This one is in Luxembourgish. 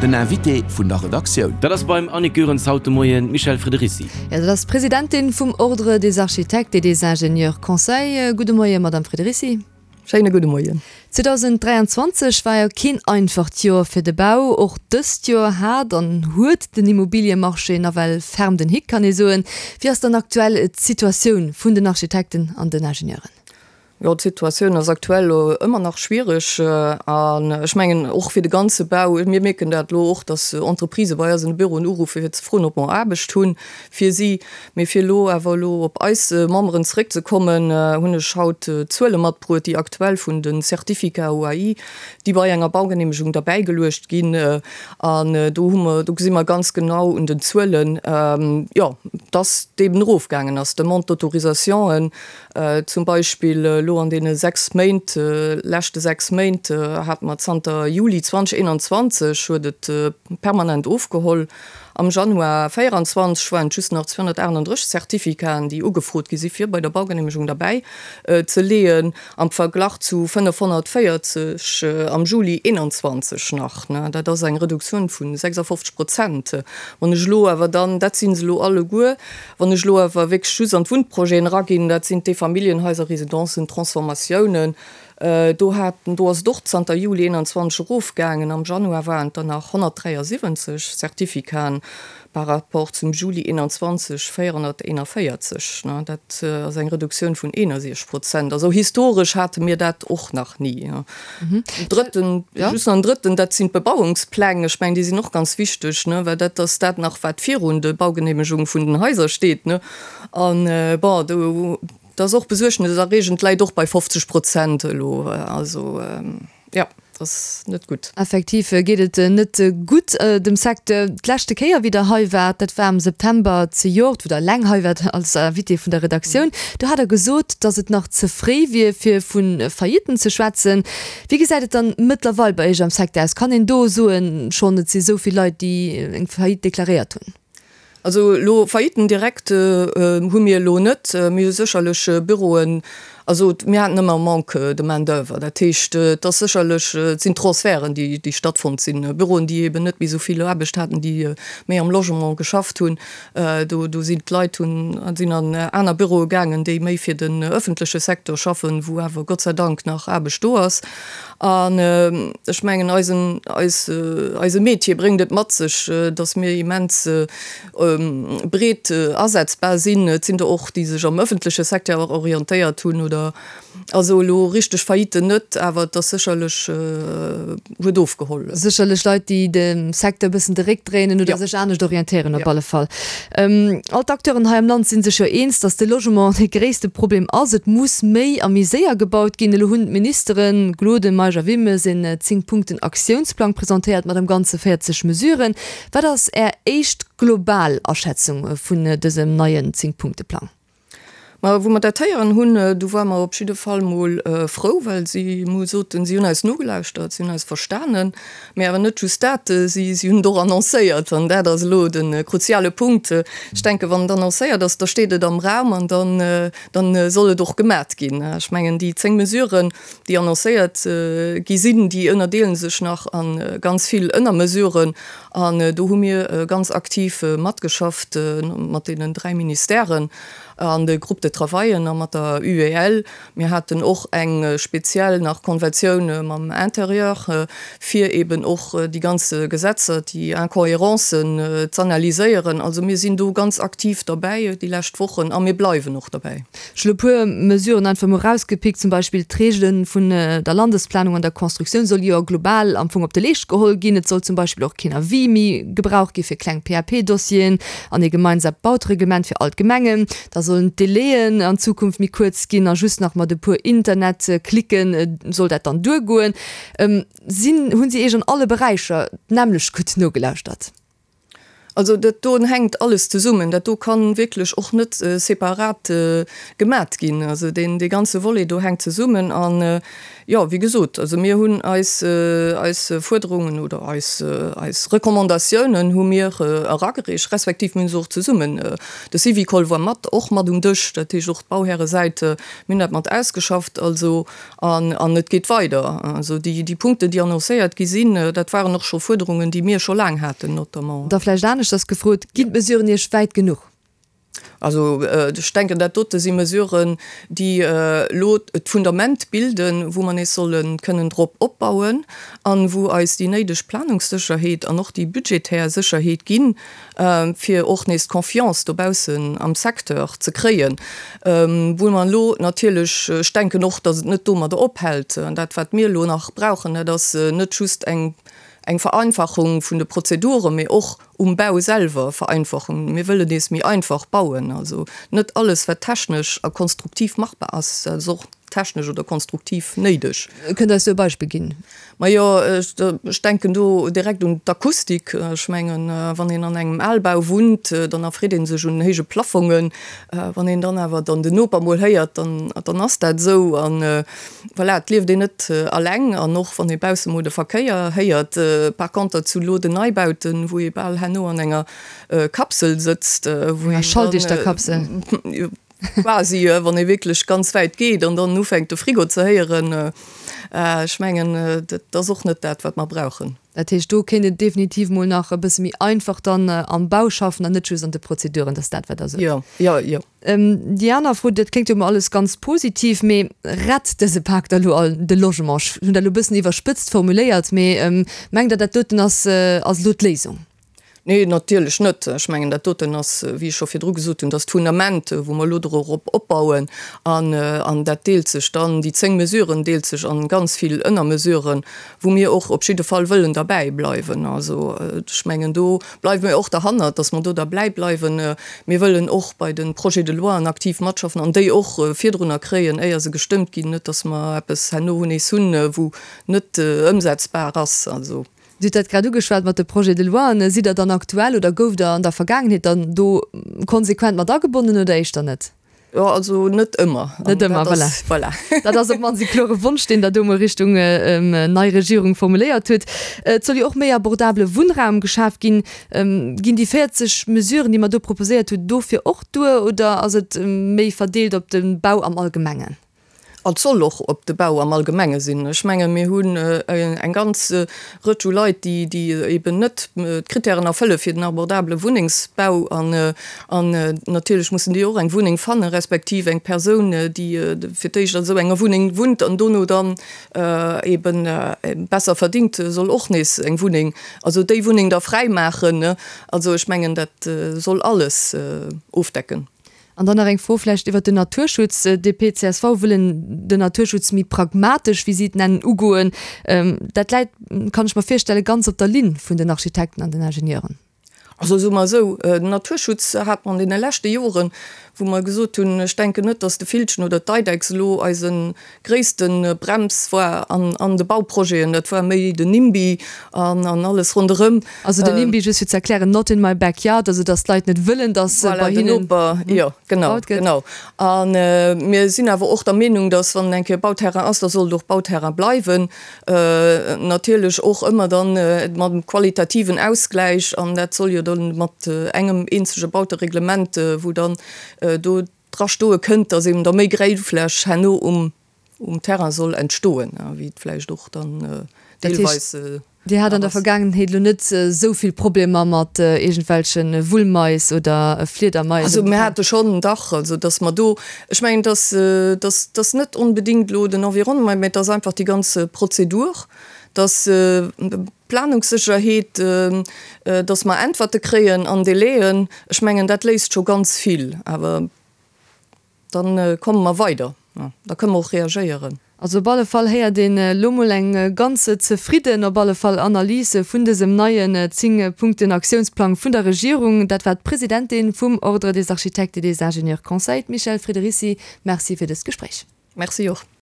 Den Invité vun der Redaktioun. Dat ass beim Annick Goerens haut de Moien d'Michèle Friederici. Jo, dat ass d'Presidentin vum Ordre des architectes et des ingénieurs conseils. Gudde Moien, Madame Friederici. Schéine gudde Moien. 2023 war jo keen einfacht Joer fir de Bau. Och dëst Joer hat an huet den Immobiliemarché nawell ferm den Hick, kann ee soen. Wéi ass dann aktuell d'Situatioun vun den Architekten an den Ingenieuren? Jo, d'Situatioun ass aktuell elo ëmmer nach schwiereg an ech mengen och fir de ganze Bau. Mir mierken dat elo och, datt Entreprisë bei eis an de Büroen uruffen, fir ze froen, ob mer Aarbecht hu fir si. Mee fir elo awer elo op eis Memberen zeréckzekommen, hunn ech haut Zuele matbruet, déi aktuell vun de Certificats OAI, déi bei enger Baugeneemegung derbäigeluecht ginn. An do hu mer, do gesi mer ganz genau un den Zuelen, jo, datt et eben erofgaangen ass. D'Demande d'autorisationen Zum Beispill elo an deene 6 Méint, leschte 6 Méint, hate mer zanter Juli 2021 huet et permanent ofgeholl. Am Januar 24 waren et just nach 238 Certificaten, déi ugefrot gi si fir bei der Baugeneemegung derbäi ze leeën, am Verglach zu 540 am Juli 21 nach. Dat ass eng Reduktioun vu 56 Prozent. Wann ech elo awer dann, dat si se elo alleguer, Wann ech elo awer wierklech just an d'Wunnprojeten eraginn, dat sinn d'Eefamilljenhaiser, Residencen, Transformatiounen, do haten, do ass et och zanter Juli 21 erofgaangen. Am Januar waren et der nach 173 Certificaten par rapport zum Juli 21 441. Dat ass eng Reduktioun vun 61 Prozent. Also historesch hate mir dat och nach ni. En drëtten, just nach en drëtten, dat sinn d'Bebauungspläng. Ech mengen, déi sinn och ganz wichteg, ne, well dat ass dat nach, wat virun de Baugenehmegung vun den Haiser steet, ne. An, bon, do, dat ass och besuergneserreegend, läit och bei 50 Prozent elo. Also, jo, dat ass net gutt. Effektiv geet et net gutt dem Secteur. D'leschte Kéier, wéi Der hei waart, dat war am September zejoert, wou Der eleng hei waart als Invité vun der Redaktioun, do hat Der gesot, datt et nach ze fréi wier, fir vu Faillitten ze schwätzen. Wéi gesäit et dann mëttlerweil bei Iech am Secteur aus? Kann een do soen, schonn et si sou vill Leit, déi eng Faillite deklaréiert hunn? Also elo Faillitten direkt hu mir elo net. Mir hu sécherlech Büroen, also mir haten ëmmer e Manque de main d'oeuvre. Dat heescht, et ass sécherlech, et sinn Transferten, déi déi stattfonnt sinn, Büroen, déi eben net méi esou vill Aarbecht haten, déi méi am Logement geschafft hunn. Do do sinn d'Leit hunn sinn an aner Büroe gaangen, déi méi fir den ëffentleche Secteur schaffen, wou awer Gott sei Dank nach Aarbecht do ass. An ech mengen, eisen, eis, eise Métier bréngt et mat sech, dass mir immens breet asetzbar sinn. Et sinn der och, déi sech am öffentleche Secteur orientéiert hunn oder, also elo richteg Failliten net, awer et ass sécherlech, huet ofgeholl. Sécherlech Leit, déi dem Secteur e bëssen de Réck dréinen oder sech anescht orientéieren op alle Fall. All d'Acteuren hei am Land si sech jo eens, datt de Logement dee gréisste Problem ass. Et muss méi a méi séier gebaut ginn. Elo hunn d'Ministere Gloden, Meisch a Wilmes een 10 Punkten Aktiounsplang presentéiert mat am Ganze 40 Mesuren. Wat ass Är éischt global Aschätzung vun dësem neien 10 Punkte Plang? Ma wou mer dat héieren hunn, du ware mer op jidde Fall mol frou, well si mu soten, si hunn eis nogelauschtert, si hunn eis verstanen. Mee awer net just dat, si si hunn et och annoncéiert. An dat ass elo de kruziale Punkt. Ech denken, wann et annoncéiert ass, da steet et am Raum an dann, dann soll et och gemat ginn. Ech mengen, déi 10 Mesuren, déi annoncéiert gi sinn, déi ënnerdeele sech nach a ganz vill Ënnermesuren. An do hu mir ganz aktiv matgeschafft mat deenen 3 Ministèren an de Groupes de travaillen a mat der UEL. Mir haten och eng speziell nach Konventioun mam Intérieur, fir eben och déi ganz Gesetzer, déi Incohérencen z'analyséieren. Also mir sinn do ganz aktiv derbäi déi lescht Wochen a mir bleiwen och derbäi. Ech hunn e puer Mesuren einfach mol erausgepickt, zum Beispill d'Reegele vun der Landesplanung an der Constructioun soll jo global am Fong op de Leescht geholl ginn. Et soll zum Beispill och keen Avis méi gebraucht gi fir kleng PAP-Dossieren an ee gemeinsamt Bautereglement fir all d'Gemengen. Da sollen d'Délaiën an Zukunft méi kuerz ginn a just nach mat e puer Internetklicke soll dat dann duergoen. Sinn, hunn si Iech an alle Beräicher d'nämmlecht gutt nogelauschtert? Also dat do hänkt alles zesummen. Dat do ka wierklech och net separat gemat ginn. Also deen, dee ganze Volet do hänkt zesummen. An, jo. Jo, wéi gesot, also mir hunn eis, eis Fuerderungen oder eis, eis Recommandatiounen hu mir eragereecht, respektiv mir hunn se och zesummen, de Syvicol war mat, och mat um Dësch, dat heescht och d'Bauhäresäit, mir hunn dat mat ausgeschafft. Also, an, an et geet weider. Also déi, déi Punkten, déi annoncéiert gi sinn, dat waren och scho Fuerderungen, déi mir scho laang haten, notamment. Da vläicht aneschters gefrot, Ginn d'Mesuren Iech wäit genuch? Also ech denken, dat dote si Mesuren, déi elo d'Fundament bilden, wou mer nees solle kënnen drop opbauen an wou eis déi néideg Planungssécherheet an och déi budgetär Sécherheet ginn, fir och nees d'Confiance dobaussen am Secteur ze kréien. Wou mer elo natierlech, ech denken och, datt et net domadder ophält. Dat, wat mir elo nach brauchen, dat ass net just eng Vereinfachung vun de Prozeduren, mee och Um Bau selwer vereinfachen. Mir wëllen nees méi einfach bauen. Also net alles, wat technesch a konstruktiv machbar ass, dat ass och technesch oder konstruktiv néideg. Kënnt Der eis do e Beispill ginn? Majo, ech denken do direkt un d'Akustik. Ech mengen, wann een an engem Albau wunnt, dann erfreet ee sech un héije Plaffongen. Wann een dann awer dann den Noper mol héiert, dann, dann ass dat esou. An Voilà, et lieft een net alleng an och wann ee bausse mol de Verkéier héiert. Par conter zu lo den Neibauten, wou ee bal herno an enger Kapsel sëtzt, wou een Schalldichter Kapsel. Quasi, wann ee wierklech ganz wäit geet an dann ufänkt de Frigo ze héieren. Ech mengen, dat ass och net dat, wat mer brauchen. Dat heescht, do kéint een definitiv mol nach e bësse méi einfach dann am Bau schaffen an net just an de Prozeduren. Dat ass dat, wat Der sot. Jo, jo, jo. Déi aner Fro, dat kléngt jo emol alles ganz positiv, mee rett dëse Pak da lo all de Logement? Ech hunn dat elo e bëssen iwwerspëtzt formuléiert, mee mengt Der, dat doten ass ass elo d'Léisung? Nee, natierlech net. Ech mengen, dat doten ass, wéi ech scho virdru gesot hunn, dat ass d'Fundament, wou mer elo dorop opbauen. An, an dat deelt sech dann, déi 10 Mesuren deelt sech an ganz vill Ënnermesuren, wou mir och op jidde Fall wëllen derbäi bleiwen. Also, ech mengen, do bleiwe mir och derhannert, dass mer do derbäi bleiwen. Mir wëllen och bei de Projets de loien aktiv matschaffen an déi och virdrunner kréien, éier se gestëmmt ginn, net dass mer eppes herno nees hunn, wou net ëmsetzbar ass. Also. Dir hutt dat grad ugeschwat mat de Projets de loien. Sidd Der dann aktuell oder gouft Der an der Vergaangenheet dann do konsequent mat agebonnen oder éischter net? Jo, also net ëmmer. Net ëmmer, voilà. Voilà. Dat ass op d'mannst e klore Wonsch, deen Der do mol Richtung nei Regierung formuléiert hutt. Et soll jo och méi abordabele Wunnraum geschaf ginn. Ginn déi 40 Mesuren, déi mer do proposéiert hunn, dofir och duer oder ass et méi verdeelt op de Bau am Allgemengen? Et soll och op de Bau am Allgemenge sinn. Ech menge mir hunn eng ganz Rëtsch u Leit, déi eben net d'Kritären erfëlle fir den abordabele Wunnengsbau. An natierlech mussen déi och eng Wunneng fannen, respektiv eng Persoun, déi fir d'éischt an esou enger Wunneng wunnt an dono dann eben besser verdingt, soll och nees eng Wunneng, also déi Wunneng da fräimaachen. Also ech mengen, dat soll alles ofdecken. An dann nach eng Fro vläicht iwwert den Naturschutz. DP, csv wëllen den Naturschutz méi pragmatesch, wéi si et nennen, ugoen. Dat läit, kann ech mer virstellen, ganz op der Linn vun den Architekten an den Ingenieuren. Also soe mer esou, den Naturschutz hat mer an deene leschte Joren, wou mer gesot hunn, ech denken net, datt de Villchen oder d'Eidechs elo eise gréisste Brems war an de Bauprojeten, dat war méi den NIMBY an alles ronderëm. Also den NIMBY, just fir ze erklären, not in my backyard, also datt d'Leit net wëllen, datt bei hinnen gebaut gëtt. Jo, genau, genau. A mir sinn awer och der Meenung, datt wann eng Kéier Bauterrain ass, da soll et och Bauterrain bleiwen. Natierlech och ëmmer dann mam qualitativen Ausgläich, an dat soll jo dann mat engem eenzege Bautereglement, wou dann do dra stoe kënnt, dass eben da méi Gréngfläch herno um um Terrain soll entstoen, wéi et vläicht och dann deelweis ass. Dir hat an der Vergaangenheet elo net esou vill Problemer mat iergendwelche Wullmais oder Fliedermais? Also mir hate schonn, dach, also dass mer do, ech mengen, dass dass dass net onbedéngt elo den Environnement, mä et ass einfach déi ganz Prozedur, dass Planungssécherheet, dass mer Äntwerte kréien an Délaiën, ech mengen, dat léist scho ganz vill. Awer da komme mer weider, da kënne mer och reagéieren. Also op alle Fall héiert een elo mol eng ganz zefridden, op alle Fall, Analys vun dësem neien 10 Punkten Aktiounsplang vun der Regierung. Dat war d'Presidentin vum Ordre des architectes et des ingénieurs conseils, d'Michèle Friederici. Merci fir dëst Gespréich. Merci och.